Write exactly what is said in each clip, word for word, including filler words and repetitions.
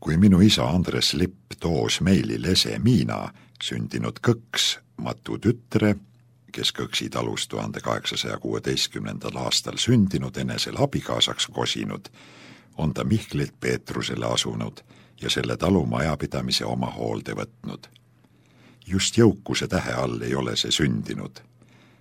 Kui minu isa Andres Lipp toos meili lese Miina, sündinud kõks Matu tütre, kes kõksi talus tuhande kaheksasaja kuueteistkümnendal aastal sündinud enesel abikaasaks kosinud, on ta Mihklilt Peetrusele asunud ja selle talu majapidamise oma hoolde võtnud. Just jõukuse tähe all ei ole see sündinud.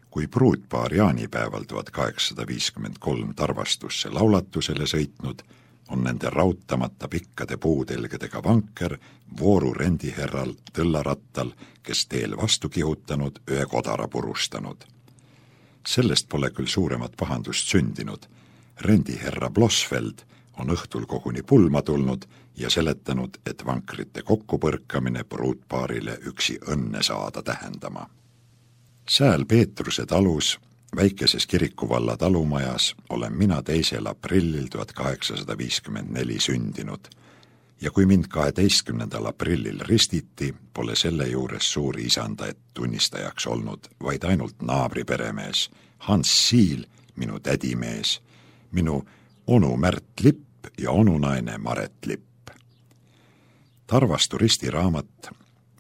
Kui pruutpaar jaanipäeval tuhat kaheksasada viiskümmend kolm Tarvastusse laulatusele sõitnud, on nende raudtamata pikkade puutelgedega vanker vooru rendiherral tõllarattal, kes teel vastu kihutanud, ühe kodara purustanud. Sellest pole küll suuremat pahandust sündinud. Rendiherra Blosfeld on õhtul koguni pulma tulnud ja seletanud, et vankrite kokkupõrkamine pruutpaarile üksi õnne saada tähendama. Sääl Peetruse talus, väikeses kirikuvalla talumajas, olen mina teisel aprillil tuhat kaheksasada viiskümmend neli sündinud ja kui mind kaheteistkümnendal aprillil ristiti, pole selle juures suuri isandaid tunnistajaks olnud, vaid ainult naabri peremees, Hans Siil, minu tädimees, minu onu Märt Lipp ja onunaine Maret Lipp. Tarvastu ristiraamat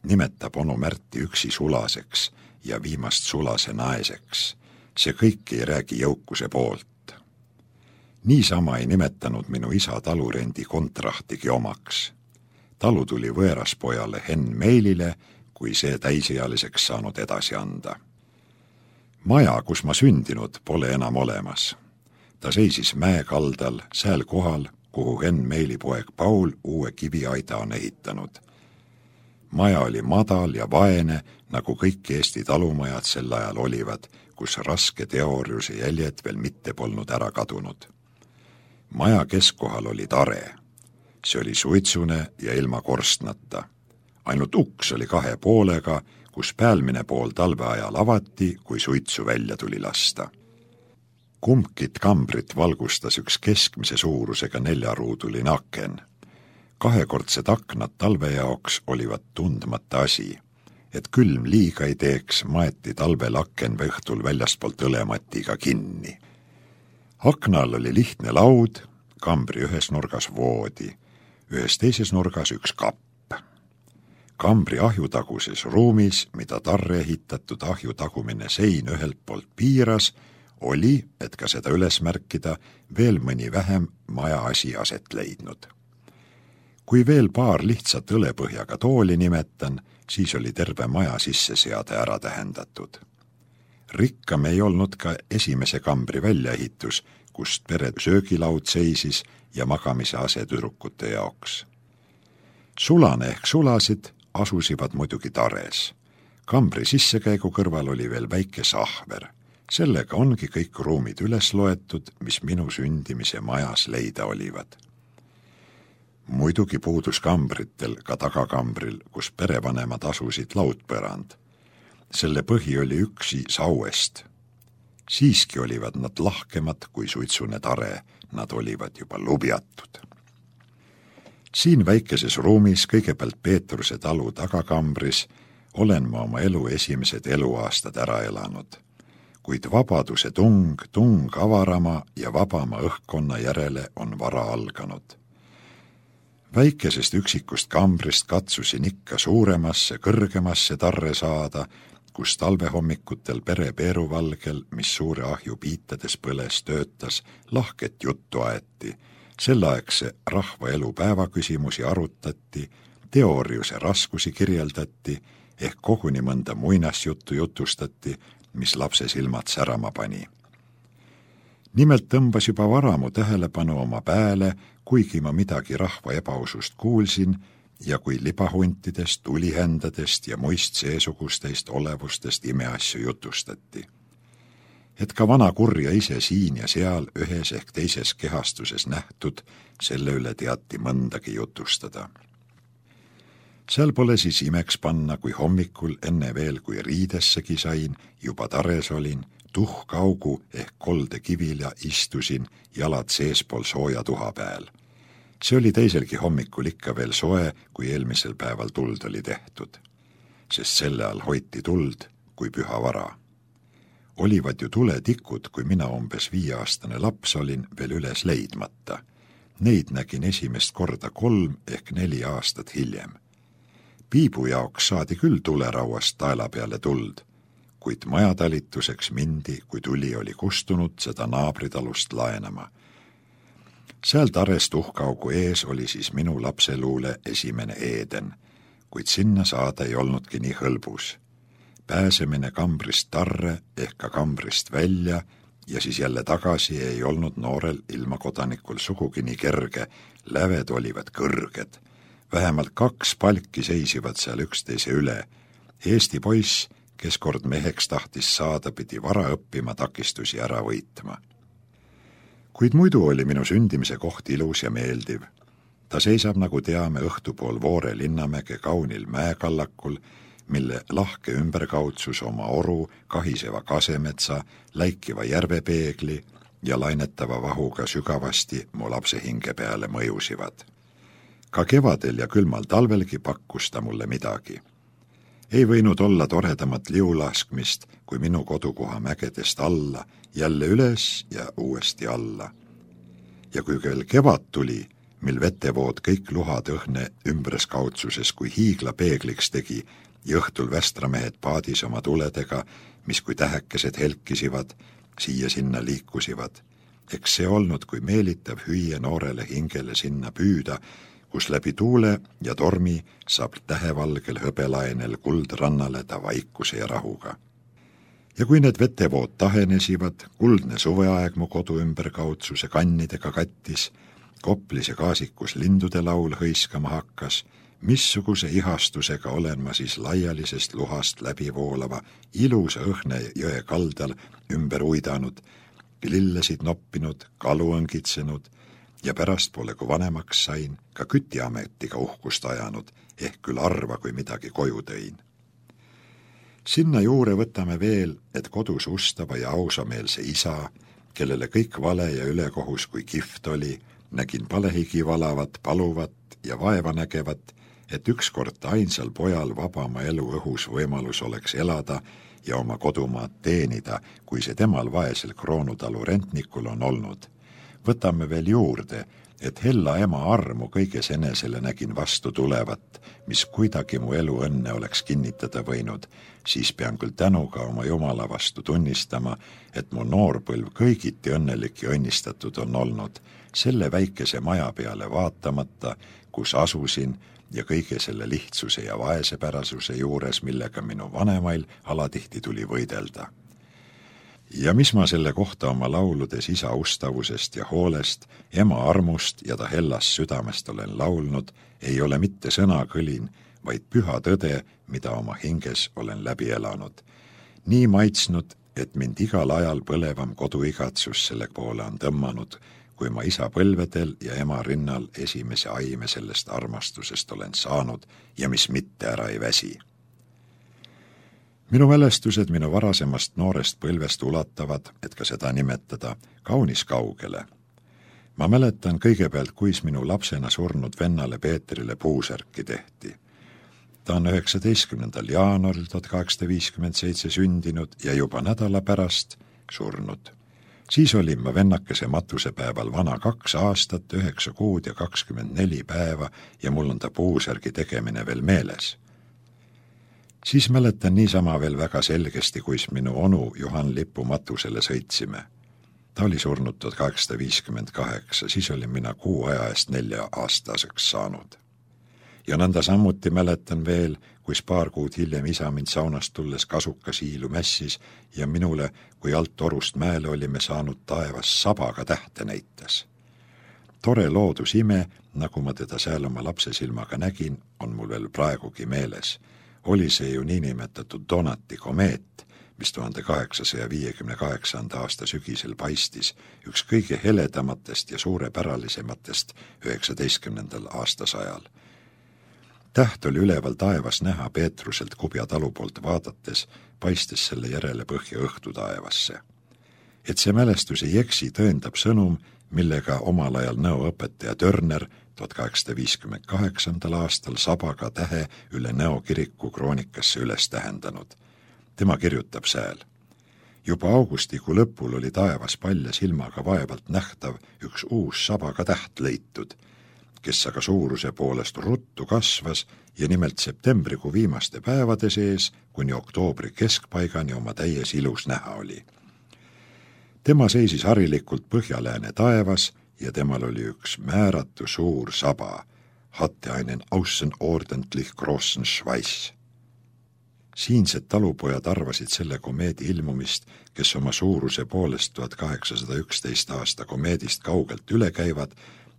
nimetab onu Märti üksi sulaseks ja viimast sulase naeseks. See kõik ei räägi jõukuse poolt. Niisama ei nimetanud minu isa talurendi kontrahtigi omaks. Talu tuli võõraspojale Henn Meilile, kui see täisealiseks saanud edasi anda. Maja, kus ma sündinud, pole enam olemas. Ta seisis mäekaldal, sääl kohal, kuhu Henn Meili poeg Paul uue kiviaida on ehitanud. Maja oli madal ja vaene, nagu kõik Eesti talumajad sel ajal olivad, kus raske teooriuse jäljed veel mitte polnud ära kadunud. Maja keskkohal oli tare. See oli suitsune ja ilma korstnata. Ainult uks oli kahe poolega, kus päälmine pool talveajal avati, kui suitsu välja tuli lasta. Kumbkit kambrit valgustas üks keskmise suurusega neljaruuduline aken. Kahekordsed aknad talve jaoks olivat tundmata asi. Et külm liiga ei teeks, maeti talvel aken või õhtul väljastpoolt õlematiga kinni. Aknal oli lihtne laud, kambri ühes nurgas voodi, ühes teises nurgas üks kapp. Kambri ahjutaguses ruumis, mida tarre ehitatud ahju tagumine sein ühelt poolt piiras, oli, et ka seda üles märkida, veel mõni vähem maja asi aset leidnud. Kui veel paar lihtsat õlepõhjaga tooli nimetan, siis oli terve maja sisseseade ära tähendatud. Rikkam ei olnud ka esimese kambri väljaehitus, kust pere söögilaud seisis ja magamise ase tüdrukute jaoks. Sulane ehk sulasid asusivad muidugi tares. Kambri sissekäigu kõrval oli veel väike sahver. Sellega ongi kõik ruumid üles loetud, mis minu sündimise majas leida olivad. Muidugi puudus kambritel, ka tagakambril, kus perevanemad asusid laudpõrand. Selle põhi oli üksi sauest. Siiski olivad nad lahkemad kui suitsune tare, nad olivad juba lubjatud. Siin väikeses ruumis, kõigepealt Peetruse talu tagakambris, olen ma oma elu esimesed eluaastad ära elanud. Kuid vabaduse tung, tung avarama ja vabama õhkkonna järele on vara alganud. Väikesest üksikust kambrist katsusin ikka suuremasse, kõrgemasse tarre saada, kus talvehommikutel pere peeruvalgel, mis suure ahju piitades põles töötas, lahket juttu aeti. Selleaegse rahva elu päevaküsimusi arutati, teooriuse raskusi kirjeldati, ehk koguni mõnda muinasjuttu jutustati, mis lapse silmad särama pani. Nimelt tõmbas juba vara mu tähelepanu oma pääle, kuigi ma midagi rahva ebausust kuulsin ja kui libahuntidest, tulihändadest ja muist seesugustest olevustest imeasju jutustati. Et ka vana kurja ise siin ja seal ühes ehk teises kehastuses nähtud, selle üle teati mõndagi jutustada. Seal pole siis imeks panna, kui hommikul enne veel, kui riidessegi sain, juba tares olin, tuhkaugu ehk kolde kivila istusin, jalad seespool sooja tuha peal. See oli teiselgi hommikul ikka veel soe, kui eelmisel päeval tuld oli tehtud. Sest selle all hoiti tuld kui püha vara. Olivad ju tuletikud, kui mina umbes viieaastane laps olin, veel üles leidmata. Neid nägin esimest korda kolm ehk neli aastat hiljem. Piibu jaoks saadi küll tulerauast taela peale tuld, kuid majatalituseks mindi, kui tuli oli kustunud seda naabritalust laenama. Seal tarest uhkaugu ees oli siis minu lapseluule esimene Eeden, kuid sinna saada ei olnudki nii hõlbus. Pääsemine kambrist tarre ehk ka kambrist välja ja siis jälle tagasi ei olnud noorel ilmakodanikul sugugi nii kerge, läved olivad kõrged. Vähemalt kaks palki seisivad seal üksteise üle. Eesti poiss, kes kord meheks tahtis saada, pidi vara õppima takistusi ära võitma. Kuid muidu oli minu sündimise koht ilus ja meeldiv. Ta seisab, nagu teame, õhtupool Voore Linnamäge kaunil mäekallakul, mille lahke ümberkaudsus oma oru, kahiseva kasemetsa, läikiva järvepeegli ja lainetava vahuga sügavasti mu lapse hinge peale mõjusivad. Ka kevadel ja külmal talvelgi pakkus ta mulle midagi. Ei võinud olla toredamat liulaskmist, kui minu kodukoha mägedest alla, jälle üles ja uuesti alla. Ja kui veel kevad tuli, mil vetevood kõik luhad õhne ümberskaudsuses kui hiigla peegliks tegi, ja õhtul västramehed paadis oma tuledega, mis kui tähekesed helkisivad, siia-sinna liikusivad. Eks see olnud, kui meelitav hüüe noorele hingele sinna püüda, kus läbi tuule ja tormi saab tähevalgel hõbelaenel kuldrannale ta vaikuse ja rahuga. Ja kui need vetevood tahenesivad, kuldne suveaeg mu kodu ümberkaudsuse kannidega kattis, koplis ja kaasikus lindude laul hõiskama hakkas, missuguse ihastusega olen ma siis laialisest luhast läbi voolava ilusa õhne jõe kaldal ümber uidanud, lillesid noppinud, kalu õngitsenud ja pärast pole, kui vanemaks sain, ka kütiametiga uhkust ajanud, ehk küll arva, kui midagi koju tõin. Sinna juure võtame veel, et kodus ustava ja ausameelse isa, kellele kõik vale ja ülekohus kui kift oli, nägin palehigi valavat, paluvat ja vaeva nägevat, et ükskord ainsal pojal vabama elu õhus võimalus oleks elada ja oma kodumaad teenida, kui see temal vaesel Kroonutalu rentnikul on olnud. Võtame veel juurde, et hella ema armu kõiges enesele nägin vastu tulevat, mis kuidagi mu elu õnne oleks kinnitada võinud, siis pean küll tänuga oma Jumala vastu tunnistama, et mu noorpõlv kõigiti õnnelik ja õnnistatud on olnud, selle väikese maja peale vaatamata, kus asusin ja kõige selle lihtsuse ja vaesepärasuse juures, millega minu vanemail alatihti tuli võidelda. Ja mis ma selle kohta oma lauludes isa ustavusest ja hoolest, ema armust ja ta hellast südamest olen laulnud, ei ole mitte sõnakõlin, vaid püha tõde, mida oma hinges olen läbi elanud. Nii maitsnud, et mind igal ajal põlevam koduigatsus selle poole on tõmmanud, kui ma isa põlvedel ja ema rinnal esimese aime sellest armastusest olen saanud ja mis mitte ära ei väsi. Minu mälestused minu varasemast noorest põlvest ulatavad, et ka seda nimetada, kaunis kaugele. Ma mäletan kõigepealt, kuis minu lapsena surnud vennale Peetrile puusärki tehti. Ta on üheksateistkümnendal jaanuaril tuhat kaheksasada viiskümmend seitse sündinud ja juba nädala pärast surnud. Siis olin ma vennakese matusepäeval vana kaks aastat, üheksa kuud ja kakskümmend neli päeva ja mul on ta puusärgi tegemine veel meeles. Siis mäletan niisama veel väga selgesti, kuis minu onu Juhan Lipu matusele sõitsime. Ta oli surnud tuhat kaheksasada viiskümmend kaheksa, siis olin mina kuu aja eest nelja aastaseks saanud. Ja nõnda sammuti mäletan veel, kuis paar kuud hiljem isa mind saunast tulles kasuka siilu mässis ja minule, kui alt torust mäele olime saanud taevas sabaga tähte näitas. Tore loodusime, nagu ma teda seal oma lapse silmaga nägin, on mul veel praegugi meeles. Oli see ju niinimetatud Donati komeet, mis tuhande kaheksasaja viiekümne kaheksanda aasta sügisel paistis, üks kõige heledamatest ja suurepäralisematest üheksateistkümnendal aastasajal. Täht oli üleval taevas näha Peetruselt Kubja talu poolt vaadates, paistes selle järele põhja õhtu taevasse. Et see mälestus ei eksi, tõendab sõnum, millega omal ajal nõoõpetaja Törner tuhat kaheksasada viiskümmend kaheksandal aastal sabaga tähe üle Nõo kiriku kroonikasse üles tähendanud. Tema kirjutab sääl. Juba augustikuu lõpul oli taevas palja silmaga vaevalt nähtav üks uus sabaga täht leitud, kes aga suuruse poolest ruttu kasvas ja nimelt septembrikuu viimaste päevade sees kuni oktoobri keskpaigani oma täies ilus näha oli. Tema seisis harilikult põhjalääne taevas ja temal oli üks määratu suur saba, hatte einen außenordentlich großen Schweiß. Siinsed talupojad arvasid selle komeedi ilmumist, kes oma suuruse poolest tuhat kaheksasada üksteist aasta komeedist kaugelt üle käivad,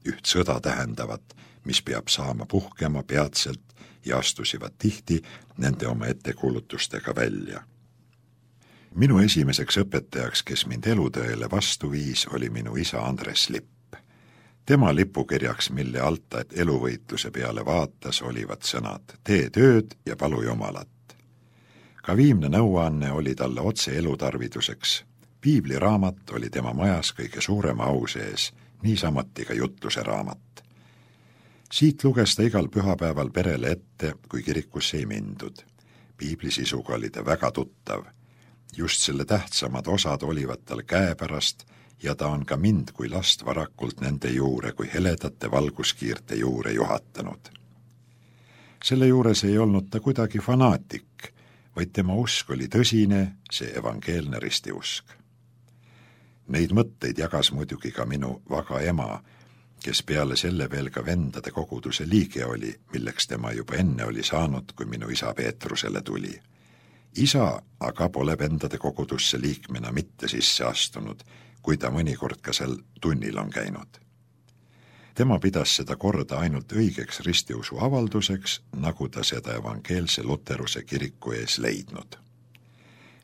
üht sõda tähendavat, mis peab saama puhkema peatselt ja astusivad tihti nende oma ettekuulutustega välja. Minu esimeseks õpetajaks, kes mind elutõele vastu viis, oli minu isa Andres Lipp. Tema lipukirjaks, mille alta, et eluvõitluse peale vaatas, olivad sõnad tee tööd ja palu jumalat. Ka viimne nõuanne oli talle otse elutarviduseks. Piibliraamat oli tema majas kõige suurema au sees, niisamati ka jutluse raamat. Siit luges ta igal pühapäeval perele ette, kui kirikusse ei mindud. Piiblisisuga oli ta väga tuttav. Just selle tähtsamad osad olivad tal käepärast ja ta on ka mind kui last varakult nende juure kui heledate valguskiirte juure juhatanud. Selle juures ei olnud ta kuidagi fanaatik, vaid tema usk oli tõsine, see evangeelne ristiusk. Neid mõtteid jagas muidugi ka minu vaga ema, kes peale selle veel ka vendade koguduse liige oli, milleks tema juba enne oli saanud, kui minu isa Peetrusele tuli. Isa aga pole vendade kogudusse liikmena mitte sisse astunud, kui ta mõnikord ka seal tunnil on käinud. Tema pidas seda korda ainult õigeks ristiusu avalduseks, nagu ta seda evangeelse luteruse kiriku ees leidnud.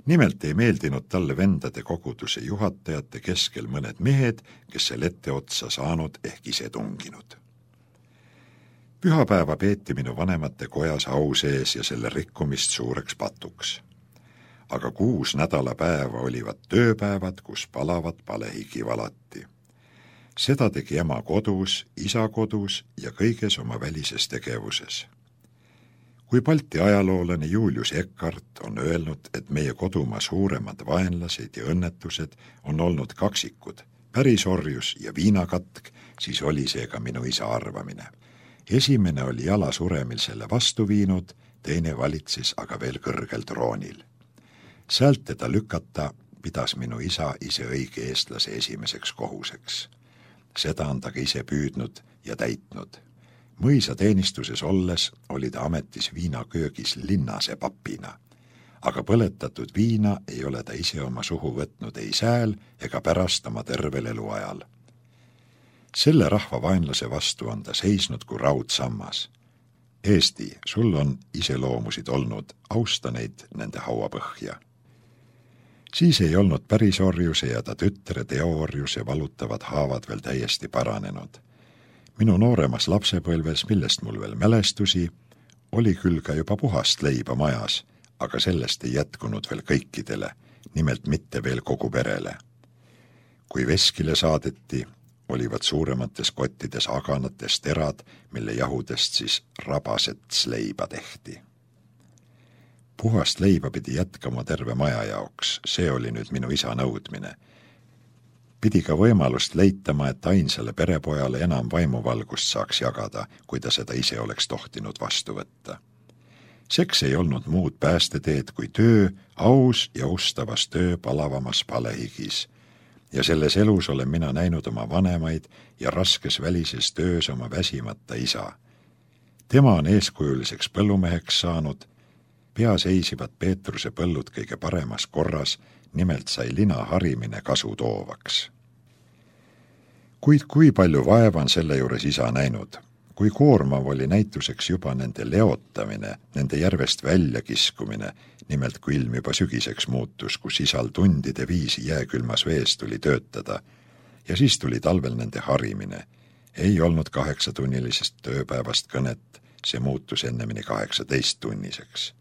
Nimelt ei meeldinud talle vendade koguduse juhatajate keskel mõned mehed, kes seal etteotsa saanud ehk ise tunginud. Pühapäeva peeti minu vanemate kojas au sees ja selle rikkumist suureks patuks. Aga kuus nädalapäeva olivad tööpäevad, kus palavat palehigi valati. Seda tegi ema kodus, isa kodus ja kõiges oma välises tegevuses. Kui Balti ajaloolane Julius Eckart on öelnud, et meie kodumaa suuremad vaenlased ja õnnetused on olnud kaksikud, pärisorjus ja viinakatk, siis oli see ka minu isa arvamine. Esimene oli jala suremil selle vastu viinud, teine valitses aga veel kõrgel troonil. Sealt teda lükata pidas minu isa ise õige eestlase esimeseks kohuseks. Seda on ta ka ise püüdnud ja täitnud. Mõisa teenistuses olles oli ta ametis viinaköögis linnase papina, aga põletatud viina ei ole ta ise oma suhu võtnud ei sääl ega pärast oma tervel eluajal. Selle rahva vaenlase vastu on ta seisnud kui raudsammas. Eesti, sul on iseloomusid olnud, austa neid nende hauapõhja. Siis ei olnud pärisorjuse ja ta tütre teoorjuse valutavad haavad veel täiesti paranenud. Minu nooremas lapsepõlves, millest mul veel mälestusi, oli küll ka juba puhast leiba majas, aga sellest ei jätkunud veel kõikidele, nimelt mitte veel kogu perele. Kui veskile saadeti, olivad suuremates kottides aganates terad, mille jahudest siis rabasets leiba tehti. Puhast leiba pidi jätkama terve maja jaoks, see oli nüüd minu isa nõudmine. Pidi ka võimalust leitama, et ainsale perepojale enam vaimuvalgust saaks jagada, kui ta seda ise oleks tohtinud vastu võtta. Seks ei olnud muud päästeteed kui töö, aus ja ustavas töö palavamas palehigis. Ja selles elus olen mina näinud oma vanemaid ja raskes välises töös oma väsimata isa. Tema on eeskujuliseks põllumeheks saanud, pea seisivad Peetruse põllud kõige paremas korras, nimelt sai lina harimine kasu toovaks. Kuid kui palju vaeva on selle juures isa näinud, kui koormav oli näituseks juba nende leotamine, nende järvest väljakiskumine, nimelt kui ilm juba sügiseks muutus, kus isal tundide viisi jääkülmas vees tuli töötada, ja siis tuli talvel nende harimine. Ei olnud kaheksatunnilisest tööpäevast kõnet, see muutus ennemini kaheksateist tunniseks.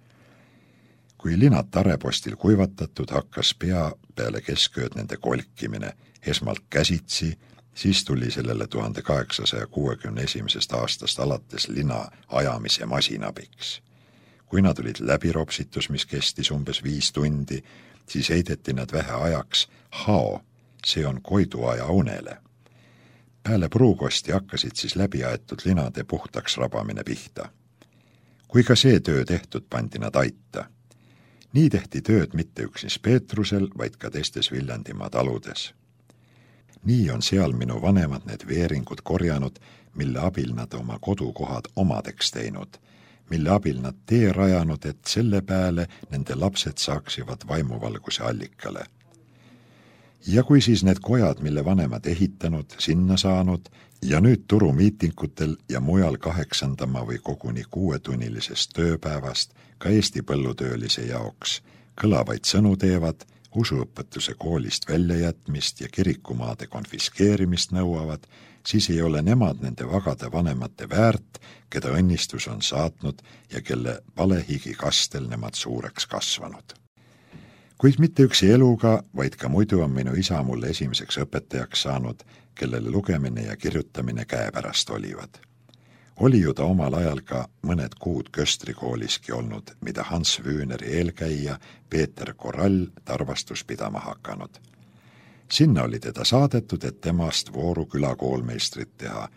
Kui linad tarepostil kuivatatud, hakkas pea peale keskööd nende kolkimine, esmalt käsitsi, siis tuli sellele tuhande kaheksasaja kuuekümne esimesest aastast alates lina ajamise masinabiks. Kui nad olid läbiropsitus, mis kestis umbes viis tundi, siis heideti nad vähe ajaks hao, see on koiduaja unele. Pääle pruukosti hakkasid siis läbi aetud linade puhtaks rabamine pihta. Kui ka see töö tehtud, pandi nad aita. Nii tehti tööd mitte üksnes Peetrusel, vaid ka teistes Viljandimaa taludes. Nii on seal minu vanemad need veeringud korjanud, mille abil nad oma kodukohad omadeks teinud, mille abil nad tee rajanud, et selle pääle nende lapsed saaksivad vaimuvalguse allikale. Ja kui siis need kojad, mille vanemad ehitanud, sinna saanud ja nüüd turumiitingutel ja mujal kaheksandama või koguni kuuetunnilisest tööpäevast ka Eesti põllutöölise jaoks kõlavaid sõnu teevad, usuõpetuse koolist väljajätmist ja kirikumaade konfiskeerimist nõuavad, siis ei ole nemad nende vagade vanemate väärt, keda õnnistus on saatnud ja kelle palehigi kastel nemad suureks kasvanud. Kuid mitte üksi eluga, vaid ka muidu on minu isa mulle esimeseks õpetajaks saanud, kellele lugemine ja kirjutamine käepärast olivad. Oli ju ta omal ajal ka mõned kuud Köstrikooliski olnud, mida Hans Wühneri eelkäija Peeter Korall tarvastus pidama hakanud. Sinna oli teda saadetud, et temast Vooru küla koolmeistrit teha,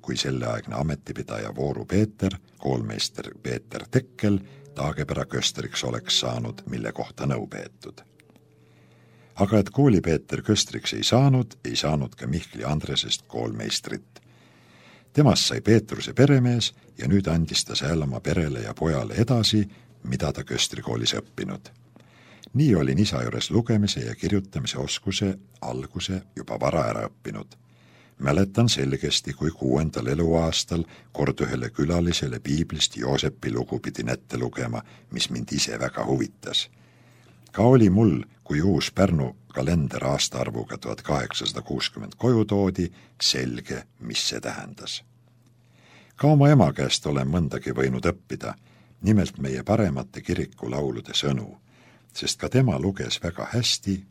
kui selleaegne ametipidaja Vooru Peeter, koolmeister Peeter Tekkel, Taagepera köstriks oleks saanud, mille kohta nõu peetud. Aga et koolipeeter köstriks ei saanud, ei saanud ka Mihkli Andresest koolmeistrit. Temast sai Peetruse peremees ja nüüd andis ta seal oma perele ja pojale edasi, mida ta köstrikoolis õppinud. Nii olin isa juures lugemise ja kirjutamise oskuse alguse juba vara ära õppinud. Mäletan selgesti, kui kuuendal eluaastal kord ühele külalisele piiblist Joosepi lugu pidin ette lugema, mis mind ise väga huvitas. Ka oli mul, kui uus Pärnu kalender aastaarvuga tuhat kaheksasada kuuskümmend koju toodi, selge, mis see tähendas. Ka oma ema käest olen mõndagi võinud õppida, nimelt meie paremate kirikulaulude sõnu, sest ka tema luges väga hästi,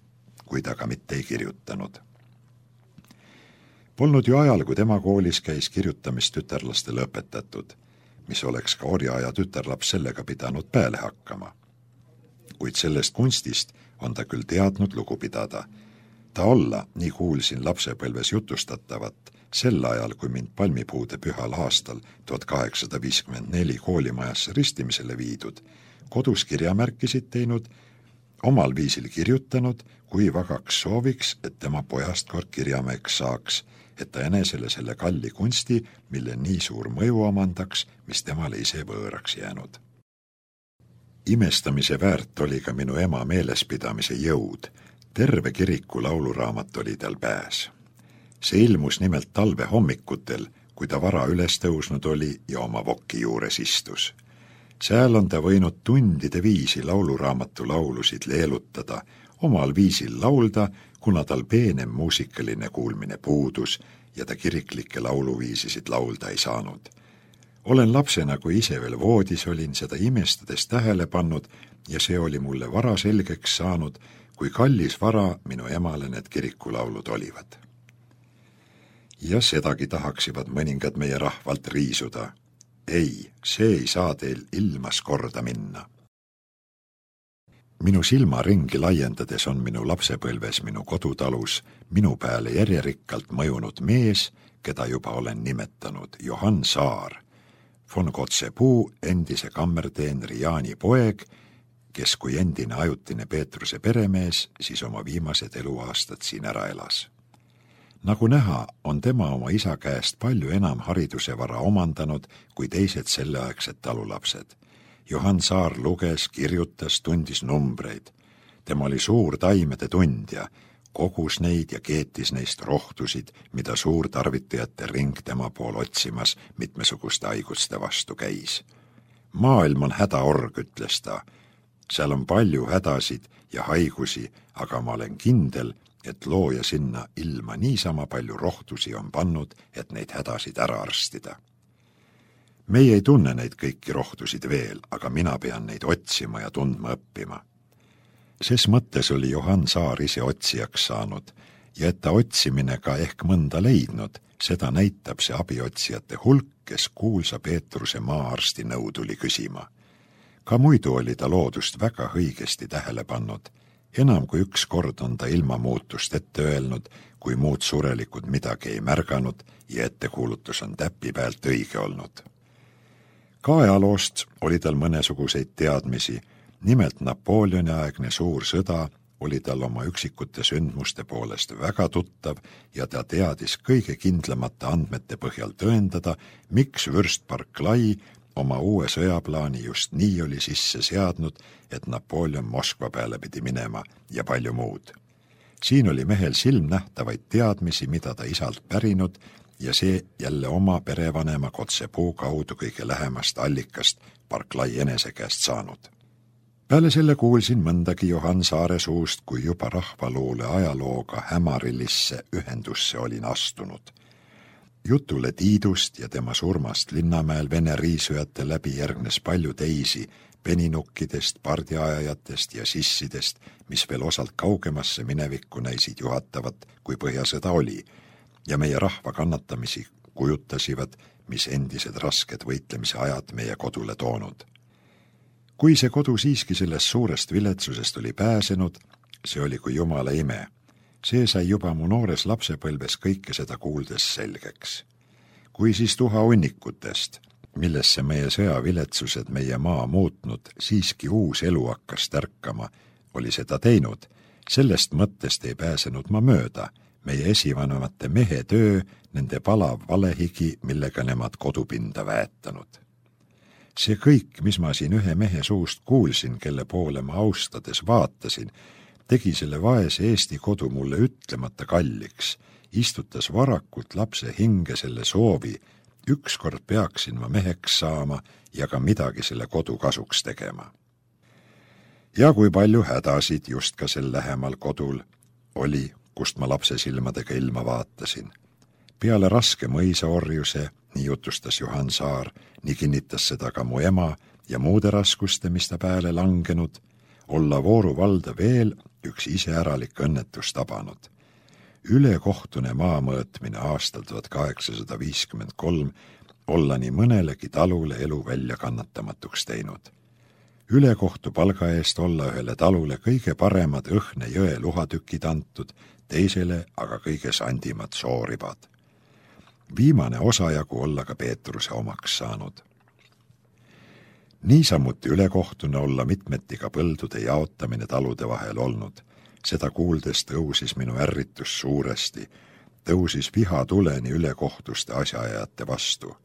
kui ta ka mitte ei kirjutanud. Polnud ju ajal, kui tema koolis käis kirjutamist tütarlastele õpetatud, mis oleks ka orjaaja tütarlaps sellega pidanud peale hakkama. Kuid sellest kunstist on ta küll teadnud lugu pidada. Ta olla, nii kuulsin lapsepõlves jutustatavat, sel ajal, kui mind palmipuude pühal aastal tuhat kaheksasada viiskümmend neli koolimajasse ristimisele viidud, kodus kirjamärkisid teinud, omal viisil kirjutanud, kui vagaks sooviks, et tema pojast kord kirjamäeks saaks, et ta enesele selle kalli kunsti, mille nii suur mõju omandaks, mis temale ise võõraks jäänud. Imestamise väärt oli ka minu ema meelespidamise jõud. Terve kiriku lauluraamat oli tal pääs. See ilmus nimelt talve hommikutel, kui ta vara üles tõusnud oli ja oma vokki juures istus. Seal on ta võinud tundide viisi lauluraamatu laulusid leelutada, omal viisil laulda, kuna tal peenem muusikaline kuulmine puudus ja ta kiriklikke lauluviisisid laulda ei saanud. Olen lapsena, kui ise veel voodis olin, seda imestades tähele pannud ja see oli mulle vara selgeks saanud, kui kallis vara minu emale need kirikulaulud olivad. Ja sedagi tahaksivad mõningad meie rahvalt riisuda. Ei, see ei saa teil ilmas korda minna. Minu silmaringi laiendades on minu lapsepõlves minu kodutalus minu peale järjerikkalt mõjunud mees, keda juba olen nimetanud, Johann Saar, von Kotzebue endise kammerteenri Jaani poeg, kes kui endine ajutine Peetruse peremees, siis oma viimased eluaastad siin ära elas. Nagu näha, on tema oma isa käest palju enam hariduse vara omandanud kui teised selleaegsed talulapsed. Johann Saar luges, kirjutas, tundis numbreid. Tema oli suur taimede tundja, kogus neid ja keetis neist rohtusid, mida suurtarvitajate ring tema pool otsimas mitmesuguste haiguste vastu käis. Maailm on hädaorg, ütles ta. Seal on palju hädasid ja haigusi, aga ma olen kindel, et looja sinna ilma niisama palju rohtusi on pannud, et neid hädasid ära arstida. Meie ei tunne neid kõiki rohtusid veel, aga mina pean neid otsima ja tundma õppima. Ses mõttes oli Johann Saar ise otsijaks saanud ja et ta otsimine ka ehk mõnda leidnud, seda näitab see abiotsijate hulk, kes kuulsa Peetruse maaarsti nõu tuli küsima. Ka muidu oli ta loodust väga õigesti tähele pannud enam kui üks kord on ta ilma muutust ette öelnud, kui muud surelikud midagi ei märganud ja ettekuulutus on täpi pealt õige olnud. Ka ajaloost oli tal mõnesuguseid teadmisi, nimelt Napoleoni aegne suur sõda oli tal oma üksikute sündmuste poolest väga tuttav ja ta teadis kõige kindlamate andmete põhjal tõendada, miks vürst Barclay oma uue sõjaplaani just nii oli sisse seadnud, et Napoleon Moskva peale pidi minema ja palju muud. Siin oli mehel silmnähtavaid teadmisi, mida ta isalt pärinud ja see jälle oma perevanema Kotzebue kaudu kõige lähemast allikast Barclay enese käest saanud. Peale selle kuulsin mõndagi Johan Saare suust, kui juba rahvaluule ajalooga hämarilisse ühendusse olin astunud. Jutule Tiidust ja tema surmast Linnamäel Vene riisujate läbi järgnes palju teisi peninukkidest, pardiajajatest ja sissidest, mis veel osalt kaugemasse minevikku näisid juhatavat, kui põhjasõda oli, ja meie rahva kannatamisi kujutasivad, mis endised rasked võitlemise ajad meie kodule toonud. Kui see kodu siiski sellest suurest viletsusest oli pääsenud, see oli kui jumala ime. See sai juba mu noores lapsepõlves kõike seda kuuldes selgeks. Kui siis tuha unnikutest, millesse meie sõjaviletsused meie maa muutnud, siiski uus elu hakkas tärkama, oli seda teinud. Sellest mõttest ei pääsenud ma mööda, meie esivanemate mehe töö, nende palav valehigi, millega nemad kodupinda väetanud. See kõik, mis ma siin ühe mehe suust kuulsin, kelle poole ma austades vaatasin, tegi selle vaese Eesti kodu mulle ütlemata kalliks, istutas varakult lapse hinge selle soovi, ükskord peaksin ma meheks saama ja ka midagi selle kodu kasuks tegema. Ja kui palju hädasid just ka sel lähemal kodul oli, kust ma lapse silmadega ilma vaatasin. Peale raske mõisaorjuse, nii jutustas Johan Saar, nii kinnitas seda ka mu ema ja muude raskuste, mis ta pääle langenud, olla Vooru valda veel üks iseäralik õnnetus tabanud. Ülekohtune maamõõtmine aastal tuhat kaheksasada viiskümmend kolm olla nii mõnelegi talule elu välja kannatamatuks teinud. Ülekohtu palga eest olla ühele talule kõige paremad õhne jõe luhatükid antud, teisele aga kõige sandimad sooribad. Viimane osajagu olla ka Peetruse omaks saanud. Niisamuti ülekohtune olla mitmeti ka põldude jaotamine talude vahel olnud. Seda kuuldes tõusis minu ärritus suuresti, tõusis viha tuleni ülekohtuste asjaajate vastu.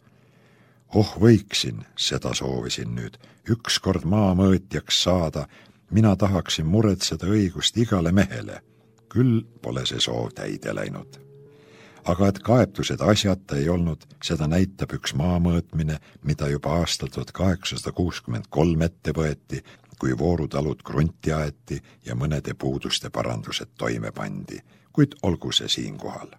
Oh võiksin, seda soovisin nüüd, ükskord maamõõtjaks saada, mina tahaksin muretseda õigust igale mehele. Küll pole see soov täide läinud. Aga et kaebtused asjata ei olnud, seda näitab üks maamõõtmine, mida juba aastal tuhat kaheksasada kuuskümmend kolm ette võeti, kui voorutalud krunti aeti ja mõnede puuduste parandused toime pandi, kuid olgu see siinkohal.